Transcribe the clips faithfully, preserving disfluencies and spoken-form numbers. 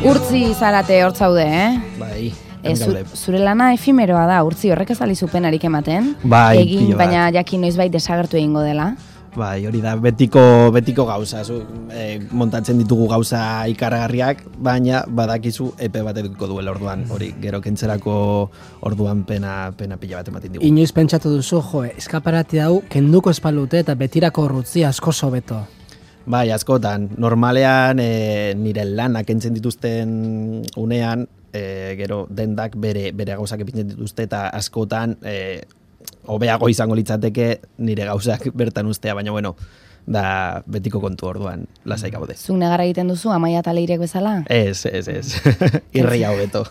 Urtzi zarate hor zaude, eh? Bai, E, zu, zure lana efimeroa da, Urtzi, horrek ez alizu penarik ematen. Bai, egin, baina jakin noizbait desagertu egingo dela. Bai, hori da, betiko, betiko gauza, zu, e, montatzen ditugu gauza ikaragarriak, baina badakizu epe bat edukiko duela orduan, hori, gero kentzerako orduan pena, pena pila bat ematen digu. Inoiz pentsatu duzu, jo, eskaparate hau kenduko espalute eta betirako Urtzi asko sobeto. Bai, askotan, normalean e, nire lanak kentzen dituzten unean, e, gero dendak bere, bere gauzak epintzen dituzte eta askotan e, hobeago izango litzateke nire gauzak bertan ustea, baina bueno, da betiko kontu orduan, lasai gaude. Zuk negarra egiten duzu, Amaia eta Leirek bezala? Ez, ez, ez. Irria hobeto.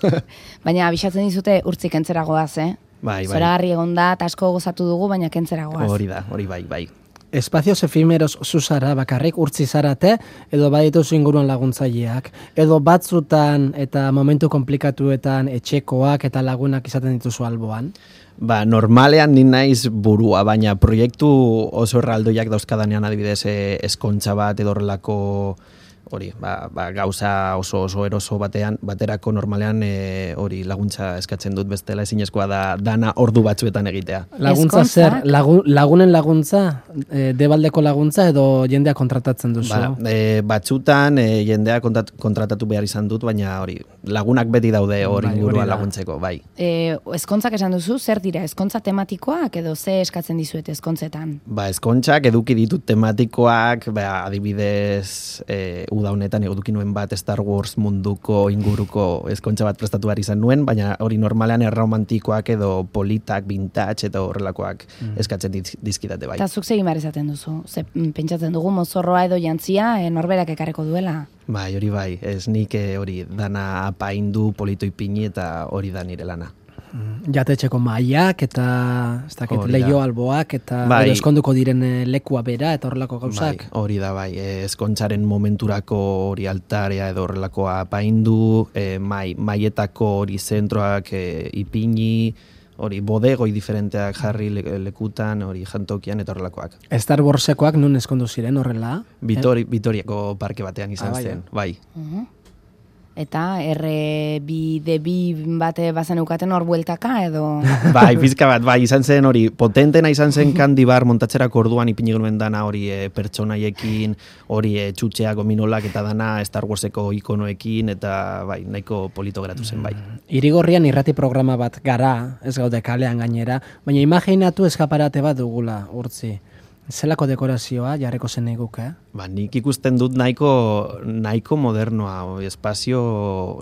Baina abisatzen dizute Urtzi kentzera goaz, eh? Bai, bai. Zoragarri egon da, eta asko gozatu dugu, baina kentzera goaz. Hori da, hori bai, bai. Espazios efimeros zuzara bakarrik Urtzi zarate, edo badituzu inguruan laguntzaileak, edo batzutan eta momentu komplikatuetan etxekoak eta lagunak izaten dituzu alboan? Ba, normalean ni naiz burua, baina proiektu oso erraldoiak dauzkadanean adibidez eskontza bat edo horrelako hori, ba, ba, gauza oso oso eroso batean, baterako normalean e, hori laguntza eskatzen dut bestela ezinezkoa da dana ordu batzuetan egitea. Laguntza zer? Lagun, lagunen laguntza? E, debaldeko laguntza edo jendea kontratatzen duzu? Ba, e, batzutan e, jendea kontrat, kontratatu behar izan dut, baina hori lagunak beti daude hori bai, inguruan laguntzeko, bai. E, ezkontzak esan duzu, zer dira? Ezkontza tematikoak edo ze eskatzen dizuet ezkontzetan? Ba, ezkontzak eduki ditut tematikoak, ba, adibidez e, uda honetan eduki nuen bat Star Wars munduko inguruko ezkontza bat prestatu behar izan nuen, baina hori normalean erromantikoak edo politak, vintage eta horrelakoak mm. eskatzen dizkidate bai. Eta zuk segin behar izaten duzu? Ze, pentsatzen dugu mozorroa edo jantzia e, norberak ekarreko duela? Bai, hori bai, ez nik hori dana apaindu, polito ipini eta hori da nire lana. Jatetxeko mailak eta ez dakit leio alboak eta bai. eskonduko diren lekua bera eta horrelako gauzak. Bai, hori da bai, eskontzaren momenturako hori altarea edo horrelakoa apaindu, e, mai, maietako hori zentroak e, ipini, hori bodegoi diferenteak jarri lekutan, hori jantokian eta horrelakoak. Star Warsekoak nun eskondu ziren horrela? Vitori, Vitoriako parke batean izan ah, zen, bai. Uh-huh. Eta erre bi de bi bate bazen eukaten hor bueltaka edo... Bai, pizka bat, bai, izan zen hori, potentena izan zen kandibar montatzerako orduan ipini genuen dana hori e, pertsonaiekin, hori e, txutxeak, gominolak eta dana Star Warseko ikonoekin, eta bai, nahiko polito geratu zen, bai. Irigorrian irrati programa bat gara, ez gaude kalean gainera, baina imaginatu eskaparate bat dugula, Urtzi. Zelako dekorazioa jarreko zen eguke? Eh? Ba, nik ikusten dut nahiko, nahiko modernoa, espazio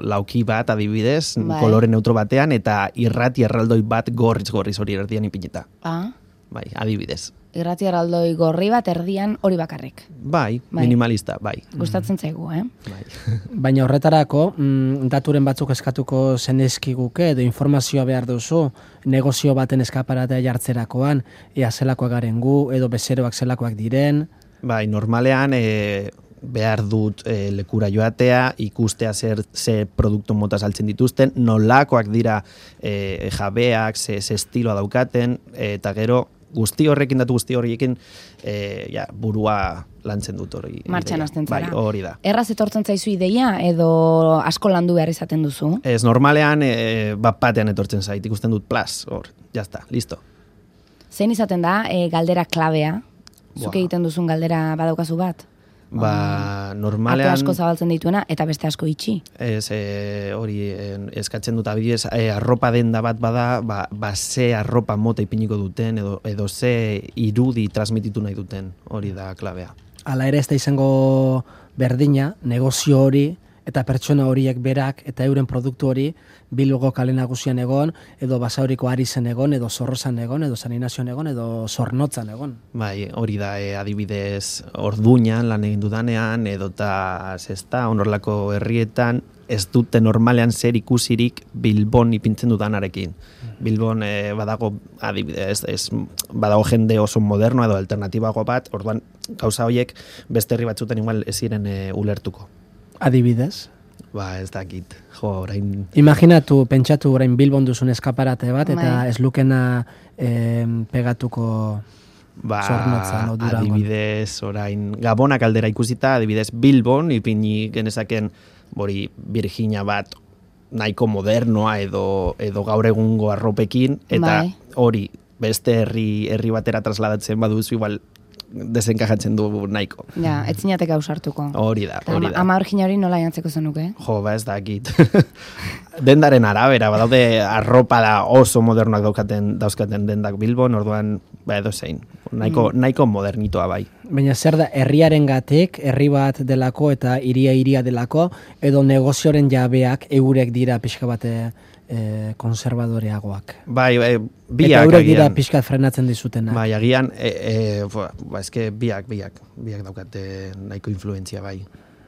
lauki bat adibidez, bai. Kolore neutro batean, eta irrati erraldoi bat gorriz-gorriz hori erdian ipinita. Ah. Bai, adibidez. Irrati erraldoi gorri bat erdian hori bakarrik. Bai, bai. Minimalista, bai. Gustatzen zaigu, eh? Bai. Baina horretarako, mm, daturen batzuk eskatuko zenezkiguke edo informazioa behar duzu, negozio baten eskaparatea jartzerakoan, ea zelakoak garen gu, edo bezeroak zelakoak diren. Bai, normalean e, behar dut e, lekura joatea, ikustea zer ze produktu mota saltzen dituzten, nolakoak dira e, jabeak, ze, ze estiloa daukaten, e, eta gero guzti horrekin, datu guzti horrekin e, ja, burua lantzen dut hori. Martxan hasten zara. Bai, hori da. Erraz etortzen zaizu ideia edo asko landu behar izaten duzu? Ez, normalean e, bat batean etortzen zait, ikusten dut plas, hor, jazta, listo. Zein izaten da e, galdera klabea? Zuk egiten duzun galdera badaukazu bat? Ba, normalean... Ate asko zabaltzen dituena eta beste asko itxi. Ez, e, hori e, eskatzen dut abidez, e, arropa denda bat bada, ba, ba ze arropa mota ipiniko duten, edo, edo ze irudi transmititu nahi duten, hori da klabea. Hala ere ez da izango berdina, negozio hori, eta pertsona horiek berak eta euren produktu hori Bilboko kale nagusian egon, edo Basauriko Arizen egon, edo Zorrozan egon, edo San Inazioan egon, edo Zornotzan egon. Bai, hori da, e, adibidez, Orduñan lan egin dudanean, edota zesta, onorlako herrietan, ez dute normalean zer ikusirik Bilbon ipintzen dudanarekin. Bilbon e, badago, adibidez, ez, badago jende oso moderno edo alternatibago bat, orduan gauza horiek beste herri batzutan igual ez ziren e, ulertuko. Adibidez? Ba, ez dakit. Jo, orain... Imaginatu, pentsatu orain Bilbon duzun eskaparate bat, eta ez lukena eh, pegatuko ba, Zornotzan o Durangon. Adibidez, orain, Gabonak aldera ikusita, adibidez Bilbon, ipini genezaken hori Virginia bat nahiko modernoa edo, edo gaur egungo arropekin, eta bai. hori beste herri, herri batera trasladatzen baduzu, igual desenkajatzen du nahiko. Ja, etzinateka ausartuko. Hori da, hori da. Ama Virginia hori nola jantzeko zenuke? Jo, ba ez dakit. Dendaren arabera, badaude arropa da oso modernoak daukaten, dauzkaten dendak Bilbon, orduan, ba edo zein. Nahiko, mm. nahiko modernitoa bai. Baina zer da, herriaren gatik, herri bat delako eta iria iria delako, edo negozioaren jabeak eurek dira pixka bate e, konservadoreagoak. Bai, e, biak eta eurek dira agian, pixkat frenatzen dizutena. Bai, agian, e, e, ba, eske biak, biak, biak daukate nahiko influentzia bai.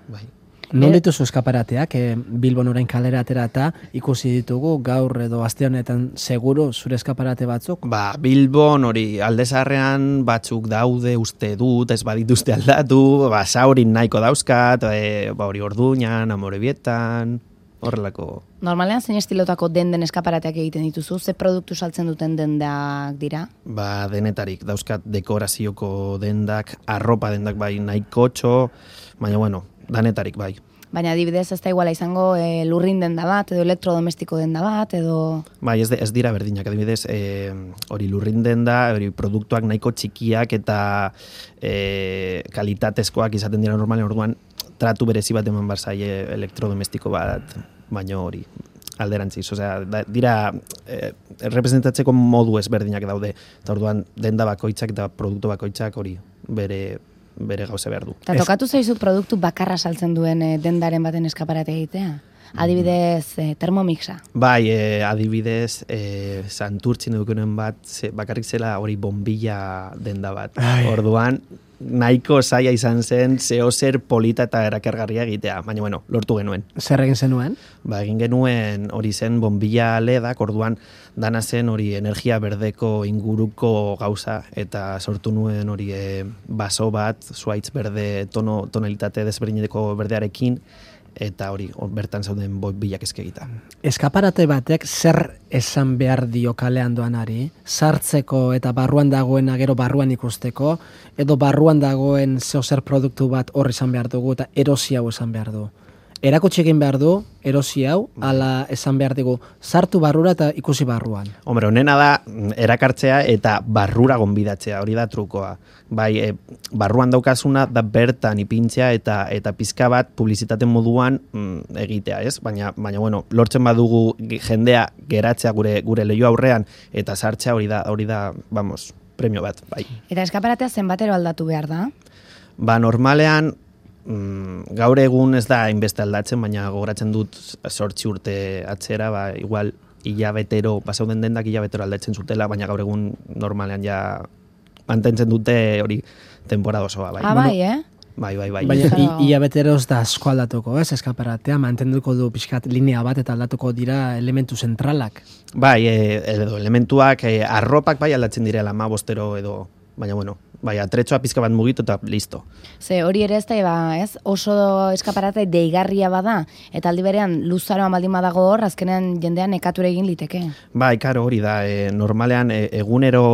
bai. Non dituzu eskaparateak, e, Bilbon orain kalera atera eta ikusi ditugu gaur edo aste honetan seguru zure eskaparate batzuk? Ba, Bilbon hori alde zaharrean batzuk daude uste dut, ez badituzte aldatu, ba, saurin nahiko dauzkat, e, ba, hori Orduñan, Amorebietan, horrelako. Normalean zein estilotako denden eskaparateak egiten dituzu? Ze produktu saltzen duten dendak dira? Ba, denetarik, dauzkat dekorazioko dendak, arropa dendak bai nahiko txo, baina bueno, danetarik bai. Baina adibidez ez da iguala izango e, lurrin denda bat, edo elektrodomestiko denda bat, edo... Bai, ez, de, ez dira berdinak, adibidez, e, hori lurrin denda, hori produktuak nahiko txikiak eta e, kalitatezkoak izaten dira normalen, orduan tratu berezi bat eman barzaie elektrodomestiko bat, baina hori alderantziz, osea, da, dira e, representatzeko modu ezberdinak daude, eta orduan denda bakoitzak eta produktu bakoitzak hori bere bere gauza behar du. Eta tokatu zaizu produktu bakarra saltzen duen e, dendaren baten eskaparate egitea? Adibidez, e, termomixa. Bai, e, adibidez, e, santurtzin edukunen bat, ze, bakarrik zela hori bombilla denda bat. Ai. Orduan, nahiko zaila izan zen, zeo zer polita eta erakargarria egitea, baina bueno, lortu genuen. Zer egin zenuen? Ba, egin genuen hori zen bombilla ledak, orduan dana zen hori energia berdeko inguruko gauza, eta sortu nuen hori e, baso bat, zuaitz berde, tono, tonalitate desberdineko berdearekin, eta hori bertan zauden bombillak eskegita. Eskaparate batek zer esan behar dio kalean doanari, sartzeko eta barruan dagoena gero barruan ikusteko, edo barruan dagoen zeo zer produktu bat hor izan behar dugu eta erosi hau esan behar du. Erakutsi egin behar du, erosi hau, ala esan behar dugu, sartu barrura eta ikusi barruan. Hombre, honena da erakartzea eta barrura gonbidatzea, hori da trukoa. Bai, e, barruan daukazuna da bertan ipintzea eta eta pizka bat publizitate moduan mm, egitea, ez? Baina, baina bueno, lortzen badugu jendea geratzea gure gure leiho aurrean eta sartzea hori da, hori da, vamos, premio bat, bai. Eta eskaparatea zenbatero aldatu behar da? Ba, normalean Mm, gaur egun ez da hainbeste aldatzen, baina gogoratzen dut zortzi urte atzera, ba, igual hilabetero, basauden dendak hilabetero aldatzen zutela, baina gaur egun normalean ja mantentzen dute hori temporada osoa. Bai. Ah, bai, eh? Bai, bai, bai. Baina hilabetero ez da asko aldatuko, ez, eskaparatea, mantenduko du pixkat linea bat eta aldatuko dira elementu zentralak. Bai, e, edo elementuak, e, arropak bai aldatzen direla ma bostero edo, baina bueno, bai, atretxoa pizka bat mugitu eta listo. Ze hori ere ez da, ba, ez? Oso eskaparate deigarria bada, eta aldi berean luzaroan baldin badago hor, azkenean jendean nekature egin liteke. Bai, karo hori da, e, normalean e, egunero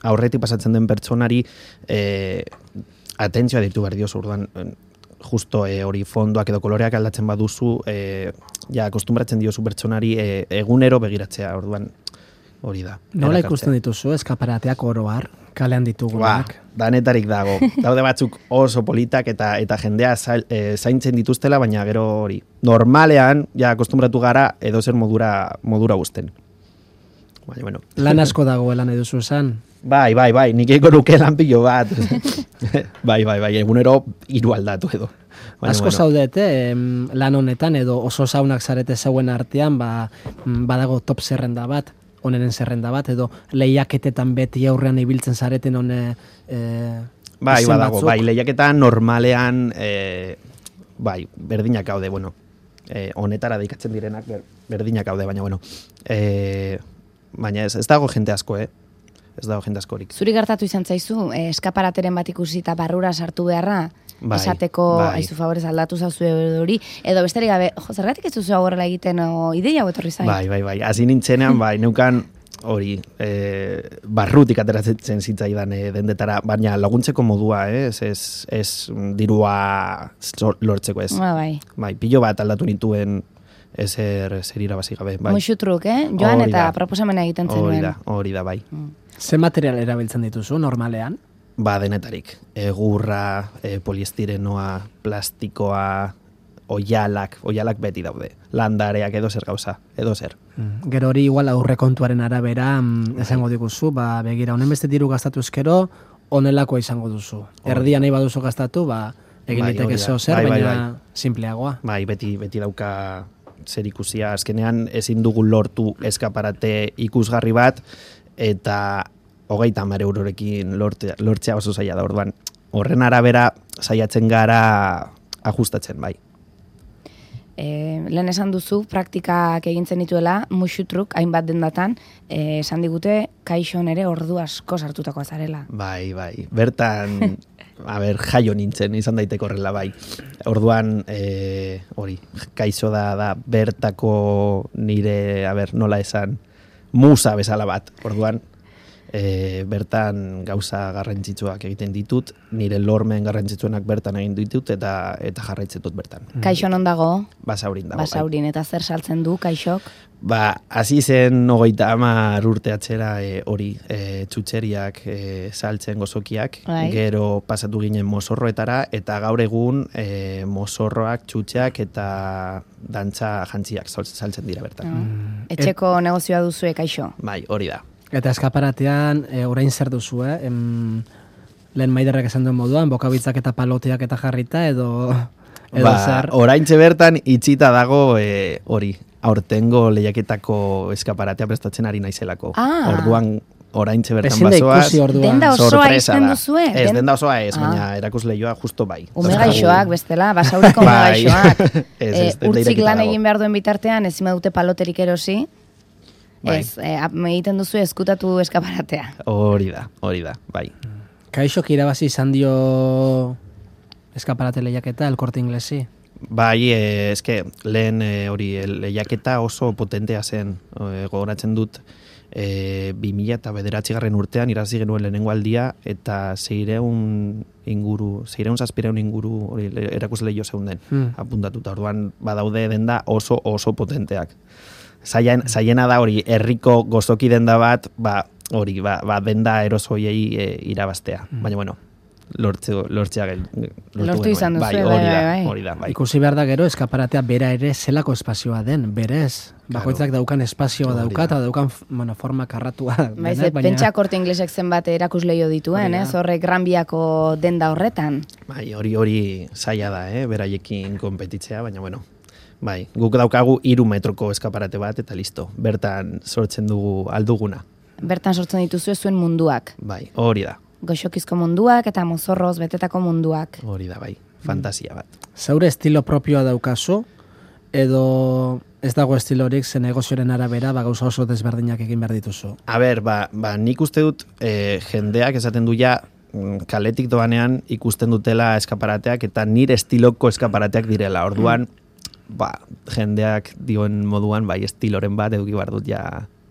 aurretik pasatzen den pertsonari e, atentzioa ditu behar diozu, orduan justo e, hori fondoak edo koloreak aldatzen baduzu, e, ja, akostumbratzen diozu pertsonari e, egunero begiratzea, orduan hori da. Nola ikusten dituzu eskaparateak oro har, kalean ditugunak? Ba, danetarik dago. Daude batzuk oso politak eta eta jendea zail, e, zaintzen dituztela, baina gero hori. Normalean, ja, akostumbratu gara edo zer modura, modura guzten. Baina, bueno. Lan asko dagoela nahi duzu esan? Bai, bai, bai, nik eko nuke lan pilo bat. bai, bai, bai, egunero hiru aldatu edo. Baina, asko bueno. zaudete lan honetan edo oso zaunak zarete zeuen artean, ba, badago top zerrenda bat, onenen zerrenda bat, edo lehiaketetan beti aurrean ibiltzen zareten hone e, bai, badago, batzuk. bai, lehiaketan normalean e, bai, berdinak gaude, bueno, e, honetara deikatzen direnak ber, berdinak gaude, baina, bueno, e, baina ez, ez dago jente asko, eh? Ez dago jende askorik. Zuri gertatu izan zaizu, eh, eskaparateren bat ikusi eta barrura sartu beharra, bai, esateko, bai, aizu favorez aldatu zauzu hori, edo besterik gabe, jo, zergatik ez duzu horrela egiten o ideia hau etorri zain? Bai, bai, bai, hasi nintzenean, bai, neukan hori, e, barrutik ateratzen zitzaidan e, dendetara, baina laguntzeko modua, eh? ez, ez, ez dirua lortzeko ez. Ba, bai. Bai, pilo bat aldatu nituen ezer, zer irabazi gabe. Bai. Muxutruk, eh? Joan Hori eta da. proposamena egiten zenuen. Hori da, hori da, bai. Mm. Ze material erabiltzen dituzu normalean? Ba, denetarik. Egurra, e, poliestirenoa, plastikoa, oialak, oialak beti daude. Landareak edo zer gauza, edo zer. Mm. Gero hori igual aurrekontuaren arabera mm, esango diguzu, ba, begira, honen beste diru gastatu ezkero, honelakoa izango duzu. Erdia nahi baduzu gastatu, ba, egin Bai, liteke hori da. zeo zer, Bai, bai, baina bai. simpleagoa. Bai, beti, beti dauka zer ikusia. Azkenean ezin dugu lortu eskaparate ikusgarri bat, eta hogeita hamar eurorekin lortzea, lortzea oso zaila da. Orduan, horren arabera saiatzen gara ajustatzen, bai. E, lehen esan duzu, praktikak egintzen dituela, muxutruk, hainbat dendatan, e, esan digute, kaixon ere ordu asko sartutakoa zarela. Bai, bai. Bertan, a ber, jaio nintzen, izan daiteko horrela, bai. Orduan, e, hori, kaixo da, da bertako nire, a ber, nola esan, musa bezala bat. Orduan, e, bertan gauza garrantzitsuak egiten ditut, nire lormen garrantzitsuenak bertan egin ditut, eta eta jarraitzen dut bertan. Kaixo non dago? Basaurin dago. bai. Basaurin, eta zer saltzen du kaixok? Ba, hasi zen hogeita hamar urte atzera e, hori, e, txutxeriak e, saltzen gozokiak, Bai. gero pasatu ginen mozorroetara, eta gaur egun e, mozorroak, txutxeak eta dantza jantziak sal- saltzen dira bertan. Mm. Etxeko negozioa duzue kaixo? Bai, hori da. Eta eskaparatean, e, orain zer duzu, eh? Em, lehen Maiderrek esan duen moduan, bokabitzak eta paloteak eta jarrita, edo, edo Ba, zer. oraintxe bertan itxita dago e, hori, aurtengo lehiaketako eskaparatea prestatzen ari naizelako. Ah. Orduan, oraintxe bertan Ezin da bazoaz. ikusi orduan. Denda osoa sorpresa izten da. duzue? Ez, Den- denda osoa ez, Ah. baina erakusleioa justo bai. Ume gaixoak, bestela, basauriko ume Bai. gaixoak. Ez, Eh, ez, denda urtzik irekita lan dago. egin behar duen bitartean, ezin badute paloterik erosi, Bai. ez, eh, ap- egiten duzu eskutatu eskaparatea. Hori da, hori da, bai. Kaixok irabazi izan dio eskaparate lehiaketa, El Corte Inglesi. Bai, e, eske, lehen e, hori, e, lehiaketa oso potentea zen, e, gogoratzen dut, e, bi mila eta bederatzigarren urtean irazi genuen lehenengo aldia, eta seireun inguru, seireun zazpireun inguru hori le- erakusleio zeunden, Hmm. apuntatuta. Orduan badaude denda oso oso potenteak. Zaian, zaiena da hori, herriko gozoki denda bat, ba, hori, ba, ba denda erosoiei e, irabaztea. Baina, bueno, lortze, lortzea gel, lortu Lortu genuen. izan duzu, bai, bai, hori da, bai, bai. hori da, bai. Ikusi behar da gero, eskaparatea bera ere zelako espazioa den, berez. Bakoitzak daukan espazioa Hori dauka, da. eta daukan bueno, forma karratua. Baiz, denak, pentsa Korte Inglesek zenbat erakusleio dituen, Hori da. ez? Horrek Gran Biako denda horretan. Bai, hori hori zaila da, eh, beraiekin konpetitzea, baina bueno. Bai, guk daukagu hiru metroko eskaparate bat eta listo. Bertan sortzen dugu alduguna. Bertan sortzen dituzu zuen munduak. Bai, hori da. Goxokizko munduak eta mozorroz betetako munduak. Hori da, bai. Fantasia bat. Zaure estilo propioa daukazu, edo ez dago estilorik ze negozioaren arabera, ba, gauza oso desberdinak egin behar dituzu. A ber, ba, ba nik uste dut eh, jendeak esaten du ja mm, kaletik doanean ikusten dutela eskaparateak eta nire estiloko eskaparateak direla. Orduan, ba, jendeak dioen moduan, bai, estiloren bat eduki behar dut ja.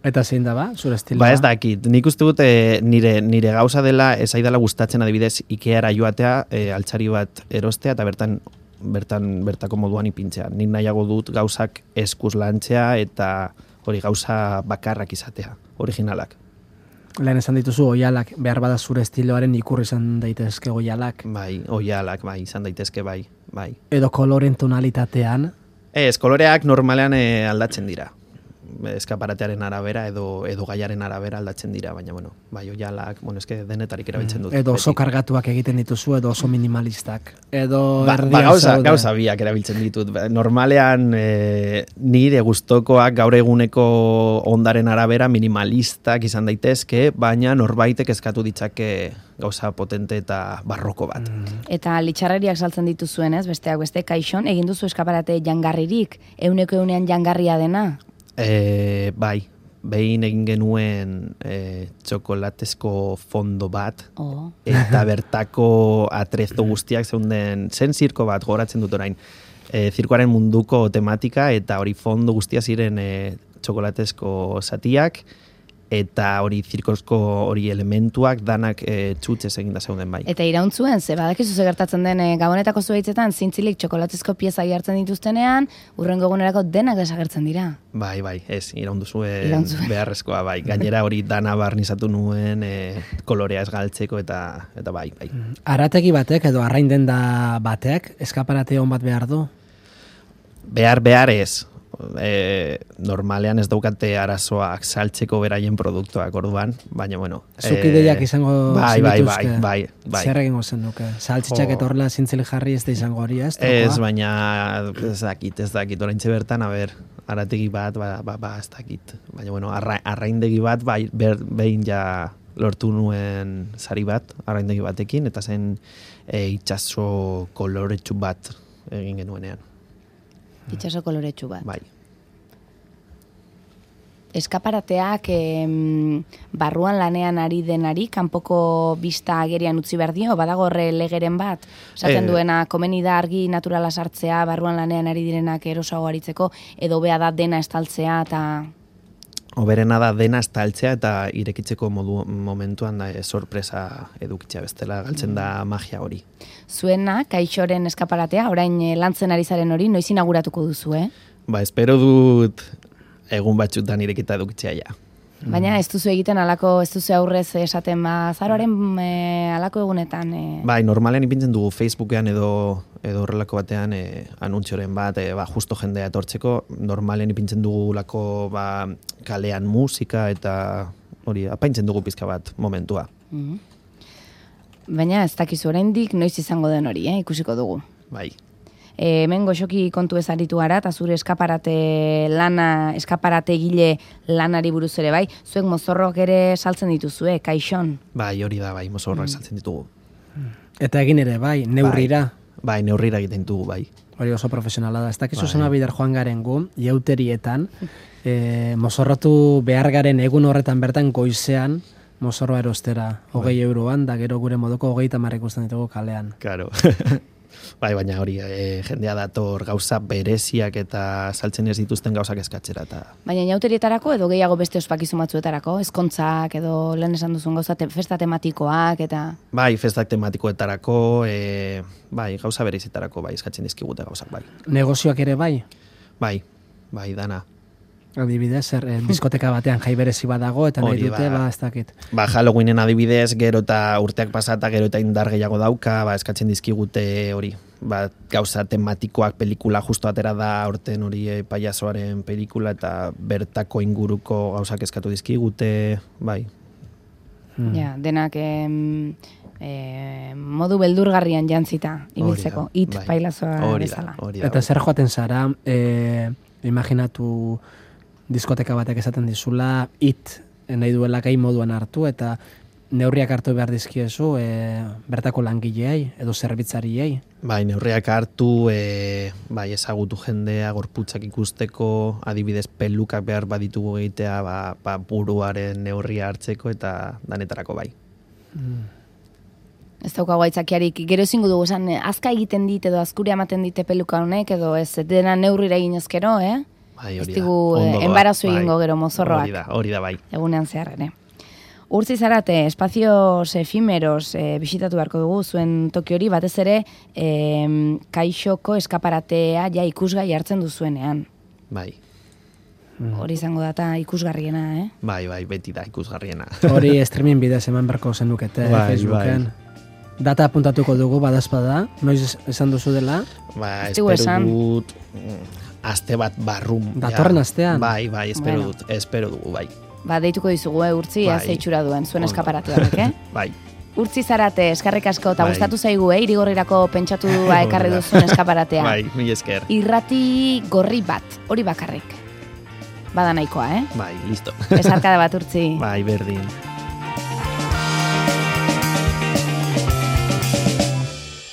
Eta zein da ba, zure estiloa? Ba ez dakit, nik uste dut e, nire, nire gauza dela, ez aidala gustatzen adibidez Ikeara joatea, e, altxari bat erostea eta bertan bertan bertako moduan ipintzea. Nik nahiago dut gauzak eskuz lantzea eta hori gauza bakarrak izatea, originalak. Lehen esan dituzu oialak, behar bada zure estiloaren ikurri izan daitezke oialak. Bai, oialak, bai, izan daitezke, bai, bai. Edo koloren tonalitatean, Ez, koloreak normalean e, aldatzen dira. Eskaparatearen arabera edo edo gaiaren arabera aldatzen dira, baina bueno, bai, oialak, bueno, eske denetarik erabiltzen dut. edo oso beti. kargatuak egiten dituzu, edo oso minimalistak. Edo Ba, ba, erdian gauza, zaude. gauza biak erabiltzen ditut. Ba, Normalean e, nire gustokoak gaur eguneko ondaren arabera minimalistak izan daitezke, baina norbaitek eskatu ditzake gauza potente eta barroko bat. Eta litxarreriak saltzen dituzuen, ez? Besteak beste, kaixon, egin duzu eskaparate jangarririk, euneko eunean jangarria dena. E, bai, behin egin genuen e, txokolatezko fondo bat, Oh. eta bertako atrezo guztiak zeunden, zen zirko bat, goratzen dut orain, e, zirkoaren munduko tematika, eta hori fondo guztia ziren e, txokolatezko zatiak, eta hori zirkosko hori elementuak danak e, txutxez eginda zeuden bai. Eta irauntzuen, ze badakizu ze gertatzen den e, gabonetako zuhaitzetan zintzilik txokolatezko pieza jartzen dituztenean, urrengo egunerako denak desagertzen dira. Bai, bai, ez, iraunduzuen Irauntzuen. beharrezkoa, bai. Gainera hori dana barnizatu nuen e, kolorea ez galtzeko eta, eta bai, bai. Arategi batek edo arrain denda batek eskaparate hon bat behar du? Behar, behar ez. E, normalean ez daukate arazoak saltzeko beraien produktuak orduan, baina bueno. Zuk ideiak izango bai, bai, bai, zenituzke? bai, bai. Zer egingo zen duke? Saltxitxak Jo. eta horrela zintzilik jarri ez da izango hori, ez? Ez, baina ez dakit, ez dakit, oraintxe bertan, a ber, arategi bat, ba, ba, ba ez dakit. Baina, bueno, arra, arraindegi bat, bai, ber, behin ja lortu nuen sari bat, arraindegi batekin, eta zen e, itxaso koloretsu bat egin genuenean. Itxaso koloretsu bat. Bai. Eskaparateak em, barruan lanean ari denari, kanpoko bista agerian utzi behar dio, badago horre legeren bat, esaten Eh. duena, komeni da argi naturala sartzea, barruan lanean ari direnak erosago aritzeko, edo bea da dena estaltzea, eta Oberena da dena estaltzea eta irekitzeko modu, momentuan da, e, sorpresa edukitzea bestela, galtzen da magia hori. zuena, kaixoren eskaparatea, orain eh, lantzen ari zaren hori, noiz inauguratuko duzu, eh? Ba, espero dut egun batzutan irekita edukitzea ja. Baina ez duzu egiten alako, ez duzu aurrez esaten ba, zaroaren e, alako egunetan. E, Bai, normalean ipintzen dugu Facebookean edo edo horrelako batean e, anuntxoren bat, e, ba, justo jendea etortzeko, normalean ipintzen dugulako ba, kalean musika eta hori, apaintzen dugu pizka bat momentua. mhm. Baina ez dakizu oraindik noiz izango den hori, eh? Ikusiko dugu. Bai. E, hemen goxoki kontu ez aritu gara, eta zure eskaparate lana, eskaparate gile lanari buruz ere bai, zuek mozorroak ere saltzen dituzue, kaixon. Bai, hori da, bai, mozorroak saltzen ditugu. Eta egin ere, bai, neurrira. Bai, neurrira egiten ditugu, bai. Hori oso profesionala da. Ez dakizu Bai. zema bider joan garen gu, jauterietan, e, mozorrotu behar garen egun horretan bertan goizean, mozorroa erostera, hogei euroan, da gero gure moduko hogei tamar ikusten ditugu kalean. Claro. Bai, baina hori, e, jendea dator gauza bereziak eta saltzen ez dituzten gauzak eskatzera. Eta... Baina jauterietarako edo gehiago beste ospakizun batzuetarako, ezkontzak edo lehen esan duzun gauza, te, festa tematikoak eta... Bai, festak tematikoetarako, e, bai, gauza berezitarako, bai, eskatzen dizkigute gauzak, bai. Negozioak ere bai, Bai, bai, dana. adibidez, zer, eh, diskoteka batean jai berezi badago, eta nahi Hori dute, da. ba, ez dakit. Ba, Halloweenen adibidez, gero eta urteak pasata, gero eta indar gehiago dauka, ba, eskatzen dizkigute hori. Ba, gauza tematikoak pelikula justo atera da aurten hori e, paiazoaren pelikula eta bertako inguruko gauzak eskatu dizkigute, bai. Hmm. Ja, denak em, e, modu beldurgarrian jantzita, ibiltzeko, Hori da, it bai. pailazoa Hori da, bezala. hori da. Eta zer joaten zara, e, imaginatu diskoteka batek esaten dizula, it nahi duela gai moduan hartu, eta neurriak hartu behar dizkiezu e, bertako langileei edo zerbitzariei. Bai, neurriak hartu, e, bai, ezagutu jendea, gorputzak ikusteko, adibidez pelukak behar baditugu egitea, ba, ba, buruaren neurria hartzeko eta danetarako bai. Ez daukagu aitzakiarik, gero ezingo dugu esan, eh, azka egiten dit edo azkuri ematen dite peluka honek, edo ez dena neurrira egin ezkero, eh? Bai, Ez hori da. digu Ondo doa, enbarazu bai. egingo gero mozorroak. Hori da, hori da bai. Egunean zehar ere. Urtzi zarate, espazios efimeros e, bisitatu beharko dugu, zuen toki hori, batez ere e, kaixoko eskaparatea ja ikusgai hartzen duzuenean. Bai, Hori izango data ikusgarriena, eh? bai, bai, beti da ikusgarriena. Hori streaming bidez eman berko zenukete Bai, Facebooken. Data apuntatuko dugu badazpada, noiz esan duzu dela, Ba, Ez digu espero esan. dut mm, aste bat barrum. Datorren ja. astean? Bai, bai, espero Bueno. dut, espero dugu, bai. Ba, deituko dizugu, eh, urtzi, Bai. bai. Zeitxura duen, zuen Ondo. eskaparatu horrek, eh? Bai, Urtzi zarate, eskarrik asko, eta Bai. gustatu zaigu, eh? Irigorrirako pentsatu ba, ekarri Hori da. duzuen eskaparatea. bai, mil esker. Irrati gorri bat, hori bakarrik. Bada nahikoa, eh? Bai, listo. Besarkada bat urtzi. Bai, berdin.